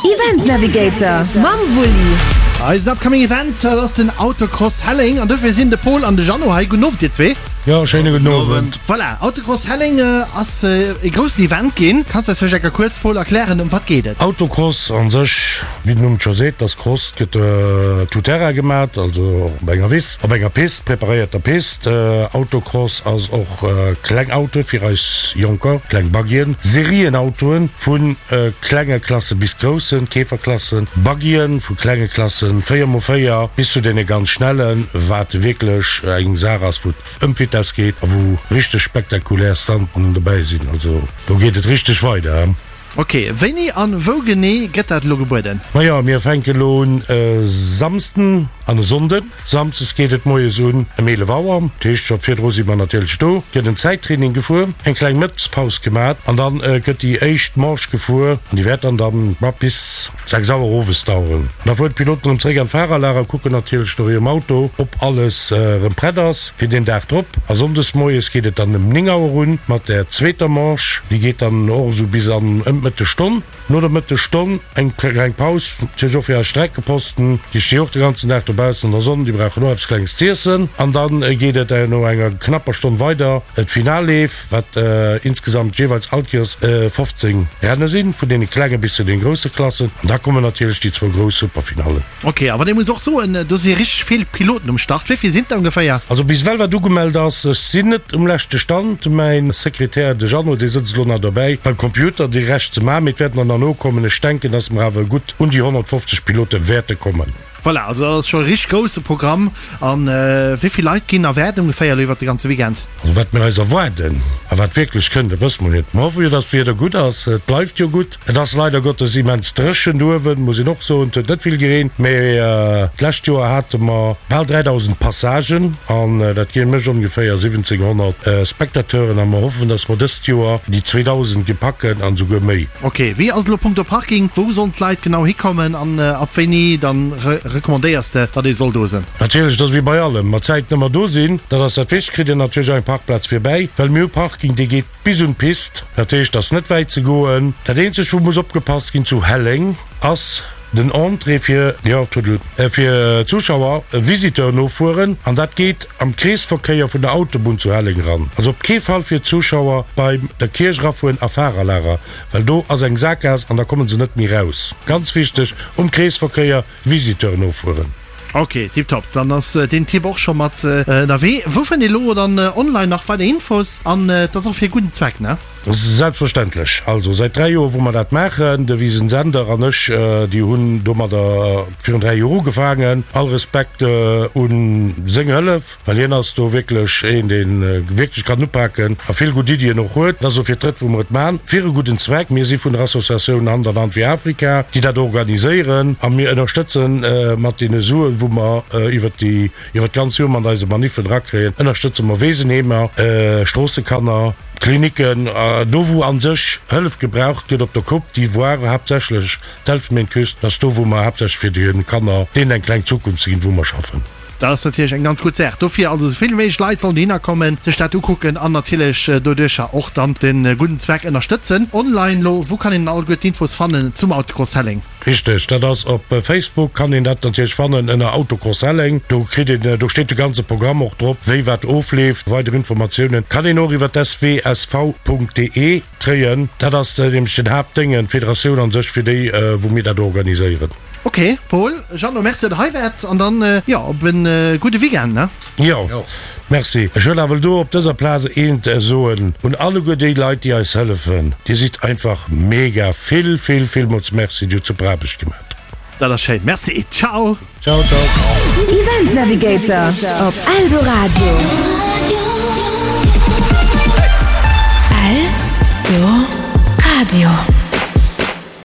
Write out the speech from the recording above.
Event Navigator mam Wulli. Eisen upcoming Event, dat ass den Autocross Helleng an dofir sinn de Paul an de Jeannot hei. Gudden Owend dir zwee. Jo, schéine gudden Owend. Voilà, Autocross Helleng ass e groussen Event ginn. Kanns de eis vläicht enker kuerz, Paul, erklären ëm wat geet et? Autocross an sech, wéi den Numm et scho seet, ass Cross, gëtt tout terrain gemat, also op enger Wiss, op enger Pist, preparéierter Pist. Autocross ass och kleng Autoe fir eis Jonker, kleng Buggyen, Serienautoen vu klenge Klasse bis groussen, Käferklassen, Buggyen vu klenge Klassen, 4 mol 4, bis zu deene ganz schnellen, wat wierklech eng Saach ass, wou et ëm d'Vitess geet a wou richteg spektakulär Stunten dobäi sinn. Also do geet et richteg weider. Ok, wéini an wou genee gëtt dat elo gebueden? Majo, mir fänken elo un e Samsden an e Sonnden. Samsdes geet et moies un ëm 11 Auer, dat heescht scho virdru si mer natierlech do, gëtt en Zäittraining gefuer, eng kleng Mëttespaus gemat an dann gëtt déi éischt Manche gefuer an déi wäert dann dann bis 6 Auer owes daueren. An da fueren d'Piloten erëm zeréck an d'Fahrerlager, kucken natierlech no hirem Auto, ob alles erëm prett ass fir deen Dag drop. A sonndes moies geet et dann ëm 9 Auer un mat der zweeter Manche. Déi geet dann och esou bis an ëm d'Mëttesstonn. No der Mëttesstonn eng kleng Paus, natierlech och fir eis Streckeposten. Déi sti och de ganzen Dag dobaussen an der Sonn, déi brauchen och eppes Klenges z'iessen. An da geet et no enger knapper Stonn weider, d'Finalleef. wat insgesamt jeeweils all Kéiers 15 Renne sinn, vun deene klenge bis zu den grousse Klassen. An da kommen natierlech déi zwou grouss Superfinallen. Ok, awer dir muss och soen, do si richteg vill Piloten um Start. Wéi vill sinn et der ongeféier? Also bis ewell wat ugemellt ass, ech sinn net um leschte Stand, mäin Sekretär, de Jeannot, dee sëtzt elo nach dobäi beim Computer déi Rescht ze maachen, mee et wäerten der nach nokommen. Ech denken, dass mer awer gutt un déi 150 Pilote wäerte kommen. Voilà, also dat ass scho e richteg grousse Programm. A wéi vill Leit ginn erwaart ongeféier elo iwwert de ganze Weekend? Also wat mir eis erwaarden a wat wierklech kënnt, dat wësse mer net. Mer hoffe jo, dass d'Wieder gutt ass. Et bleift jo gutt. Et ass leider Gottes immens dréchen do uewen, muss een och soen. Et huet net vill gereent, mee d'lescht Joer hate mer bal 3.000 Passagen an dat gi mécht ongeféier 1.700 Spectateuren a mer hoffen, dass mer dëst Joer déi 2.000 gepacken an esouguer méi. Ok, wéi ass et elo punkto Parking? Wou sollen d'Leit genau hikommen an ab wéini dann recommandéiers de datt ee soll do sinn? Natierlech, et ass wéi bei allem, mat Zäiten ëmmer do sinn, dat ass dat Wichtegst. Kritt een natierlech och eng Parkplaz virbäi, well mir hu Parking dee geet bis un d'Pist, dat heescht et ass net wäit ze goen. Dat eenzegt wou muss opgepasst ginn zu Helleng ass den Entrée fir, jo Tuddel, fir Zuschauer, Visiteuren nofueren an dat geet am Kreesverkéier vun der Autobunn zu Helleng eran. Also op kee Fall fir d'Zuschauer bei der Kierch erafueren a Fahrerlager, well do ass eng Sakgaass an da kommen se net méi raus. Ganz wichteg, um Kreesverkéier Visiteuren nofueren. Ok, tiptop, dann ass deen Tipp och scho mat ënnerwee. Wou fënnt ee lo dann online nach weider Infos? An et ass och fir e gudden Zweck, ne? Selbstverständlech. Also säit 3 Joer wou mer dat maachen, de Wisen Sender an ech, déi hunn domadder virun 3 Joer ugefaangen. All Respekt un seng Hëllef, well hien ass do wierklech een, dee wierklech kann upaken a vill gutt Iddien och huet. Et ass elo fir d'drëtt wou mer et maachen, fir e gudden Zweck. Mir si vun der Associatioun Hand an Hand fir Afrika, déi dat organiséieren a mir ënnerstëtzen mat deene Suen, wou mer iwwert déi, iwwert d'ganz Joer mat eise Maniffen erakréien, ënnerstëtze mer Weesenheemer, Stroossekanner, Klinicken, do wou a sech Hëllef gebraucht gëtt, op der Côte d'Ivoire haaptsächlech, d'Elfenbeenküst, dat ass do wou mer haaptsächlech fir de Kanner deenen eng kleng Zukunft ze ginn, wou mer schaffen. Dat ass natierlech eng ganz gutt Saach. Dofir also esou vill wéi méiglech Leit sollen dohinner kommen, sech dat ukucken an natierlech doduercher och dann de gudden Zweck ënnerstëtzen. Online lo, wou kann een dann alleguer d'Infos fannen zum Autocross Helleng? Richteg, dat ass op Facebook kann een dat natierlech fannen ënner Autocross Helleng. Do kritt een, do steet de ganze Programm och drop, wéi wat ofleeft. Weider Informatiounen kann een och iwwer swsv.de kréien. Dat ass nämlech den Haaptdéngen, d'Federatioun an sech, fir déi wou mir dat organiséieren. Ok Paul, Jeannot, merci dat der hei waart an dann jo op en gudde Weekend ne. Jo, merci. Ech wëll awer do op dëser Plaz eent soen un alleguer déi Leit, déi eis hëllefen, Dir sidd einfach mega! Vill, vill, villmools merci, Dir hutt super Aarbecht gemat. Dat ass schéin, merci. Ciao! Ciao, ciao. Event Navigator op Eldoradio. Eldoradio.